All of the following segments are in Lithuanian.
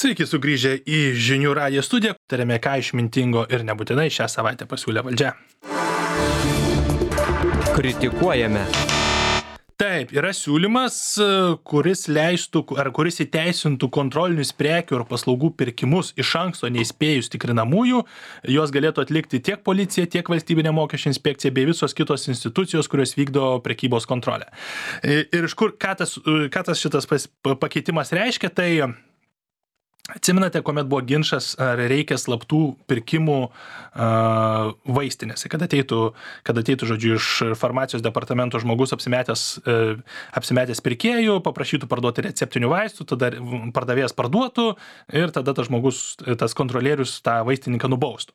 Sveiki sugrįžę į Žinių radijo studiją. Tariame, ką išmintingo ir nebūtinai šią savaitę pasiūlė valdžia. Kritikuojame. Taip, yra siūlymas, kuris leistų ar kuris įteisintų kontrolinius prekių ir paslaugų pirkimus iš anksto neįspėjus tikrinamųjų. Jos galėtų atlikti tiek policija, tiek valstybinė mokesčių inspekcija bei visos kitos institucijos, kurios vykdo prekybos kontrolę. Ir iš kur, ką tas šitas pakeitimas reiškia, tai atsimenate, kuomet buvo ginčas, ar reikia slaptų pirkimų vaistinėse, kad ateitų, žodžiu, iš farmacijos departamento žmogus apsimetęs pirkėjų, paprašytų parduoti receptinių vaistų, tada pardavėjas parduotų ir tada tas žmogus, tas kontrolierius tą vaistininką nubaustų.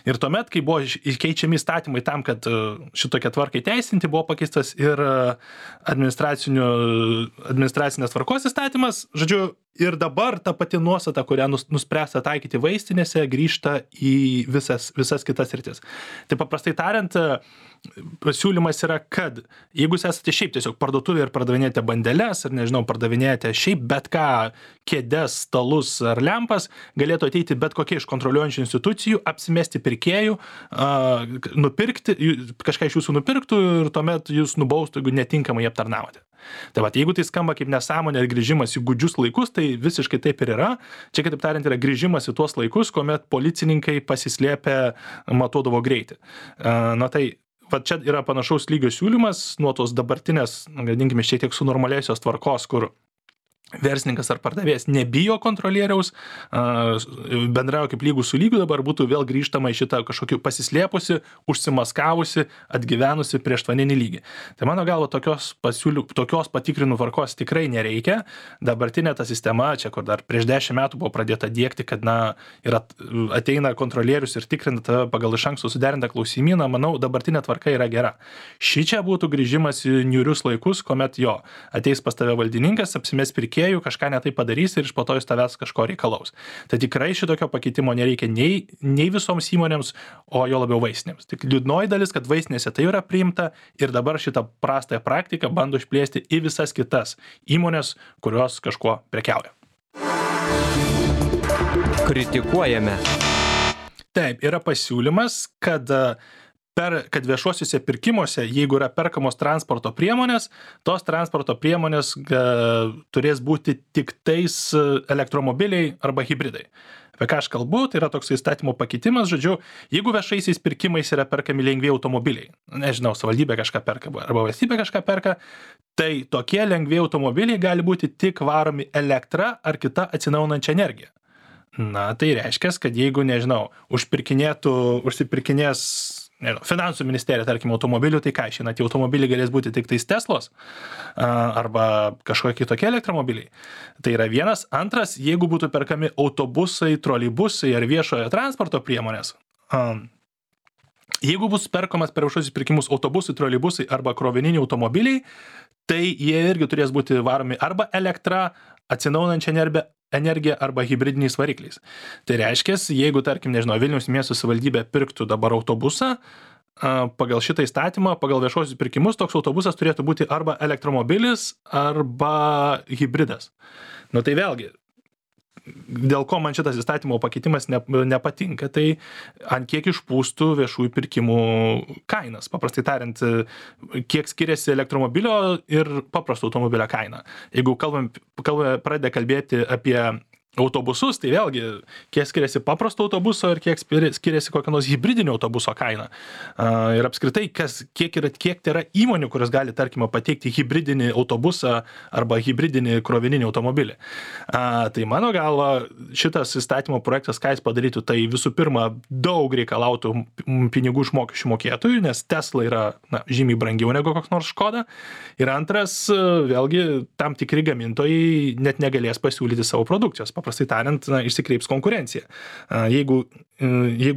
Ir tuomet, kai buvo keičiami įstatymai tam, kad šitokią tvarką įteisinti, buvo pakeistas ir administracinės tvarkos įstatymas, žodžiu, ir dabar ta pati nuostata, kurią nuspręsta taikyti vaistinėse, grįžta į visas kitas sritis. Tai paprastai tariant, pasiūlymas yra, kad jeigu jūs esate šiaip tiesiog parduotuvėje ir pardavinėjate bandeles, ar nežinau, pardavinėjate šiaip bet ką, kėdes, stalus ar lempas, galėtų ateiti bet kokie iš kontroliuojančių institucijų, apsimesti pirkėjų, nupirkti, kažką iš jūsų nupirktų ir tuomet jūs nubaustų, jeigu netinkamai aptarnavote. Tai va, jeigu tai skamba kaip nesąmonė ir grįžimas į gūdžius laikus, tai visiškai taip ir yra. Čia, kitaip tariant, yra grįžimas į tuos laikus, kuomet policininkai pasislėpę matuodavo greitį. Na tai, va čia yra panašaus lygio siūlymas nuo tos dabartinės, vadinkime, šiek tiek sunormalėjusios tvarkos, kur verslininkas ar pardavėjas nebijo kontrolieriaus, bendrauja kaip lygų su lygiu, dabar būtų vėl grįžtama į šitą kažkokį pasislėpusi, užsimaskavusi, atgyvenusi prieštvaninį lygį. Tai mano galva tokios patikrinų tvarkos tikrai nereikia. Dabartinė ta sistema, čia kur dar prieš 10 metų buvo pradėta diegti, kad ateina kontrolierius ir tikrina tave pagal iš anksto suderintą klausimyną, manau, dabartinė tvarka yra gera. Šičia būtų grįžimas į niūrius laikus, kuomet ateis pas tave valdininkas, apsimes pirkėjų, kažką netai padarys ir iš po to iš tavęs kažko reikalaus. Tai tikrai šitokio pakeitimo nereikia nei visoms įmonėms, o jo labiau vaistinėms. Tik liūdnoji dalis, kad vaistinėse tai yra priimta ir dabar šitą prastąją praktiką bando išplėsti į visas kitas įmonės, kurios kažkuo prekiauja. Kritikuojame. Taip, yra pasiūlymas, kad viešuosiuose pirkimuose, jeigu yra perkamos transporto priemonės, tos transporto priemonės turės būti tik tais elektromobiliai arba hibridai. Apie ką aš kalbu, tai yra toks įstatymo pakeitimas, žodžiu, jeigu viešaisiais pirkimais yra perkami lengvi automobiliai, nežinau, savivaldybė kažką perka arba valstybė kažką perka, tai tokie lengvi automobiliai gali būti tik varomi elektra ar kita atsinaujinančia energija. Na, tai reiškia, kad jeigu, nežinau, užsipirkinės finansų ministerija, tarkim, automobilių, tai ką išeina, tie automobiliai galės būti tik tais Teslos arba kažkokie kitokie elektromobiliai. Tai yra vienas. Antras, jeigu būtų perkami autobusai, troleibusai ar viešojo transporto priemonės, jeigu bus perkamas per viešuosius pirkimus autobusai, troleibusai arba krovininiai automobiliai, tai jie irgi turės būti varomi arba elektra, atsinaujinančia energija arba hibridiniais varikliais. Tai reiškia, jeigu, tarkim, nežinau, Vilniaus miesto savivaldybė pirktų dabar autobusą, pagal šitą įstatymą, pagal viešuosius pirkimus, toks autobusas turėtų būti arba elektromobilis, arba hibridas. Nu tai vėlgi, dėl ko man šitas įstatymo pakeitimas nepatinka, tai ant kiek išpūstų viešųjų pirkimų kainas. Paprastai tariant, kiek skiriasi elektromobilio ir paprasto automobilio kaina. Jeigu pradeda kalbėti apie autobusus, tai vėlgi, kiek skiriasi paprasto autobuso ir kiek skiriasi kokio nors hibridinio autobuso kaina. Ir apskritai, kiek tai yra įmonių, kurios gali, tarkime, pateikti hibridinį autobusą arba hibridinį krovininį automobilį. Tai mano galva, šitas įstatymo projektas, ką jis padarytų, tai visų pirma, daug reikalautų pinigų iš mokesčių mokėtojų, nes Tesla yra žymiai brangiau negu koks nors Škoda. Ir antras, vėlgi, tam tikri gamintojai net negalės pasiūlyti savo produkcijos. Paprastai tariant, išsikreips konkurencija. Jeigu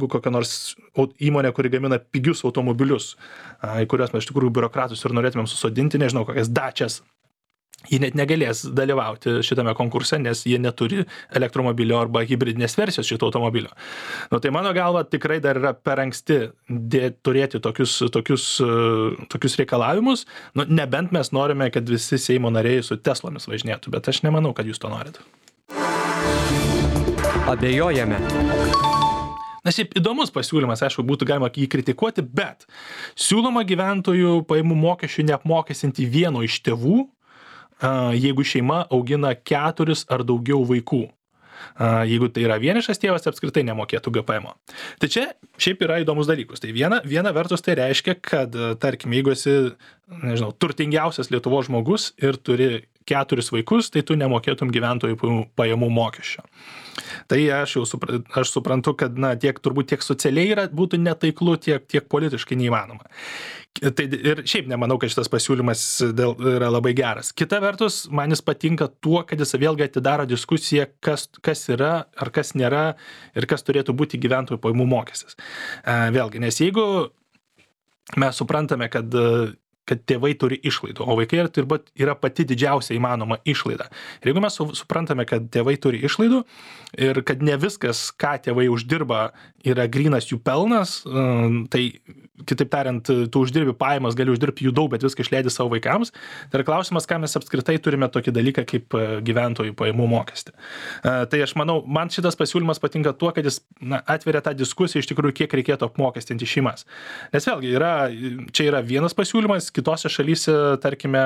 kokia nors įmonė, kuri gamina pigius automobilius, į kuriuos mes iš tikrųjų biurokratus ir norėtumėm susodinti, nežinau, kokias Dačias, jie net negalės dalyvauti šitame konkurse, nes jie neturi elektromobilio arba hibridinės versijos šito automobilio. Nu, tai mano galva tikrai dar yra per anksti turėti tokius reikalavimus, nu, nebent mes norime, kad visi Seimo nariai su Teslomis važinėtų, bet aš nemanau, kad jūs to norit. Abejojame. Na, šiaip įdomus pasiūlymas, aišku, būtų galima jį kritikuoti, bet siūloma gyventojų pajamų mokesčių neapmokestinti vieno iš tėvų, jeigu šeima augina 4 ar daugiau vaikų. Jeigu tai yra vienišas tėvas, apskritai nemokėtų GPM. Tai čia šiaip yra įdomus dalykus. Tai viena vertus tai reiškia, kad, tarkim, jeigu esi, nežinau, turtingiausias Lietuvos žmogus ir turi 4 vaikus, tai tu nemokėtum gyventojų pajamų mokesčio. Tai aš suprantu, kad turbūt tiek socialiai būtų netaiklu, tiek politiškai neįmanoma. Tai ir šiaip nemanau, kad šitas pasiūlymas yra labai geras. Kita vertus, man jis patinka tuo, kad jis vėlgi atidaro diskusiją, kas yra ar kas nėra ir kas turėtų būti gyventojų pajamų mokestis. Vėlgi, nes jeigu mes suprantame, kad tėvai turi išlaidų, o vaikai turbūt yra pati didžiausia įmanoma išlaida. Ir jeigu mes suprantame, kad tėvai turi išlaidų ir kad ne viskas, ką tėvai uždirba, yra grynas jų pelnas, tai kitaip tariant, tu uždirbi pajamas, gali uždirbti jų daug, bet viską išleidi savo vaikams. Tai yra klausimas, ką mes apskritai turime tokį dalyką kaip gyventojų pajamų mokestį. Tai aš manau, man šitas pasiūlymas patinka tuo, kad jis atveria tą diskusiją iš tikrųjų, kiek reikėtų apmokestinti šeimas. Nes vėlgi, čia yra vienas pasiūlymas, kitose šalyse, tarkime,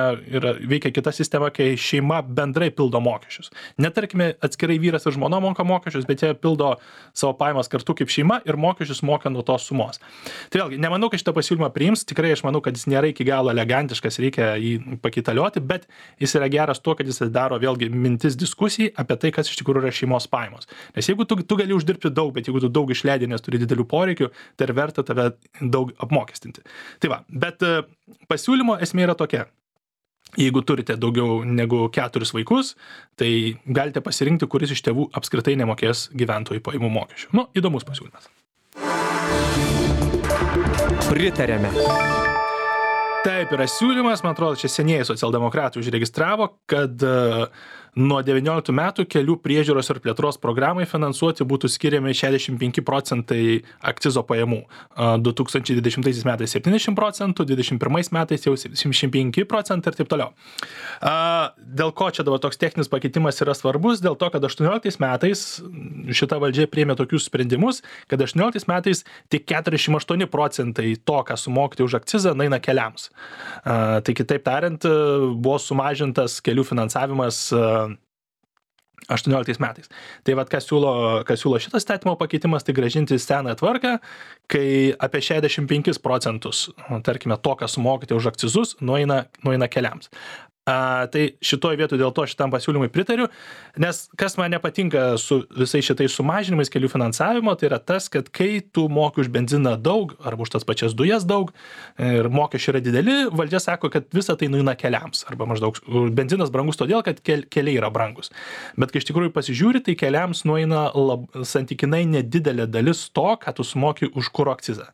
veikia kita sistema, kai šeima bendrai pildo mokesčius. Net, tarkime, atskirai vyras ir žmona moka mokesčius, bet jie pildo savo pajamas kartu kaip šeima ir mokesčius moka nuo tos sumos. Tai vėlgi, nemanau, kad šitą pasiūlymą priims, tikrai aš manau, kad jis nėra iki galo elegantiškas, reikia jį pakitalioti, bet jis yra geras tuo, kad jis daro vėlgi mintis diskusijai apie tai, kas iš tikrųjų yra šeimos pajamos. Nes jeigu tu gali uždirbti daug, bet jeigu tu daug išleidi, nes turi didelių poreikių, tai verta tave daug apmokestinti. Tai va, bet pasiūlymo esmė yra tokia. Jeigu turite daugiau negu 4 vaikus, tai galite pasirinkti, kuris iš tėvų apskritai nemokės gyventojų pajamų mokesčių. Įdomus pasiūlymas. Pritarėme. Taip yra siūlymas, man atrodo, čia senieji socialdemokratai užregistravo, kad nuo 19 metų kelių priežiūros ir plėtros programai finansuoti būtų skiriami 65% akcizo pajamų. 2020 metais 70%, 2021 metais jau 75% ir taip toliau. Dėl ko čia dabar toks techninis pakeitimas yra svarbus? Dėl to, kad 18 metais šita valdžia priėmė tokius sprendimus, kad 18 metais tik 48% to, ką sumokti už akcizą, naina keliams. Tai kitaip tariant, buvo sumažintas kelių finansavimas 18 metais. Tai vat, kas siūlo šitas įstatymo pakeitimas, tai grąžinti seną tvarką, kai apie 65%, tarkime, to, ką sumokite už akcizus, nueina keliams. Tai šitoj vietoj dėl to šitam pasiūlymui pritariu, nes kas man nepatinka su visais šitais sumažinimais kelių finansavimo, tai yra tas, kad kai tu moki už benziną daug, arba už tas pačias dujas daug, ir mokesčiai yra dideli, valdžia sako, kad visa tai nueina keliams, arba maždaug benzinas brangus todėl, kad keliai yra brangus. Bet kai iš tikrųjų pasižiūri, tai keliams nueina santykinai nedidelė dalis to, ką tu sumoki už kuro akcizą.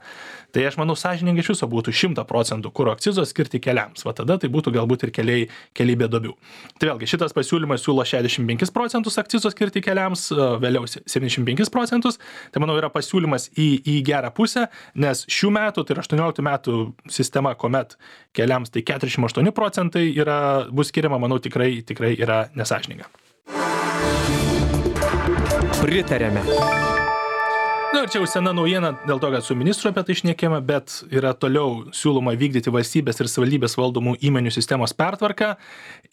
Tai aš manau, sąžiningai iš viso būtų 100% kuro akcizo skirti keliams. Va tada tai būtų galbūt ir keliai be duobių. Tai vėlgi, šitas pasiūlymas siūlo 65% akcizo skirti keliams, vėliau 75%. Tai manau yra pasiūlymas į gerą pusę, nes šių metų, tai yra 18 metų sistema, kuomet keliams tai 48% bus skiriama, manau, tikrai yra nesąžininga. Pritarėme. Ir čia jau sena naujiena dėl to, kad su ministru apie tai šnekėjome, bet yra toliau siūloma vykdyti valstybės ir savivaldybės valdomų įmonių sistemos pertvarką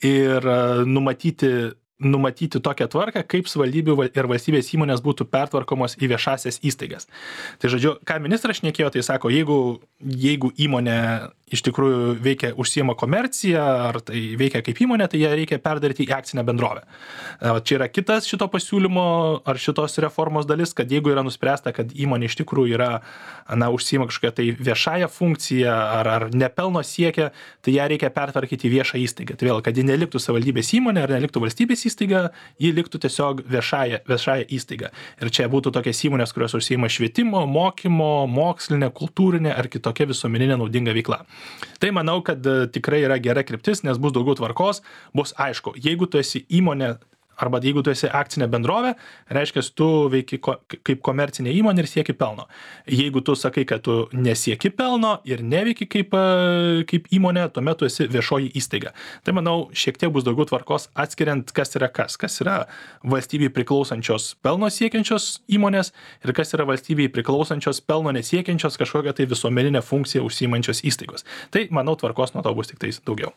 ir numatyti tokią tvarką, kaip savivaldybių ir valstybės įmonės būtų pertvarkomos į viešasias įstaigas. Tai žodžiu, ką ministras šnekėjo, tai sako, jeigu įmonė iš tikrųjų užsiima komerciją, ar tai veikia kaip įmonė, tai ją reikia perdaryti į akcinę bendrovę. Čia yra kitas šito pasiūlymo ar šitos reformos dalis, kad jeigu yra nuspręsta, kad įmonė iš tikrųjų užsiima kažkokią tai viešąją funkciją ar nepelno siekia, tai ją reikia pertvarkyti į viešą įstaigą. Tai vėl, kad ji neliktų savivaldybės įmonė ar neliktų valstybės įstaiga, ji liktų tiesiog viešąją įstaigą. Ir čia būtų tokias įmonės, kurios užsiima švietimo, mokymo, mokslinė, kultūrinė ar kitokia visuomeninė naudinga veikla. Tai manau, kad tikrai yra gera kryptis, nes bus daugiau tvarkos, bus aišku, jeigu tu esi įmonė Arba jeigu tu esi akcinė bendrovė, reiškia, tu veiki kaip komercinė įmonė ir sieki pelno. Jeigu tu sakai, kad tu nesieki pelno ir neveiki kaip įmonė, tuomet tu esi viešoji įstaiga. Tai manau, šiek tiek bus daugiau tvarkos atskiriant, kas yra valstybei priklausančios pelno siekiančios įmonės ir kas yra valstybei priklausančios pelno nesiekiančios kažkokią tai visuomeninę funkciją užsiimančios įstaigos. Tai manau, tvarkos nuo to bus tik tais daugiau.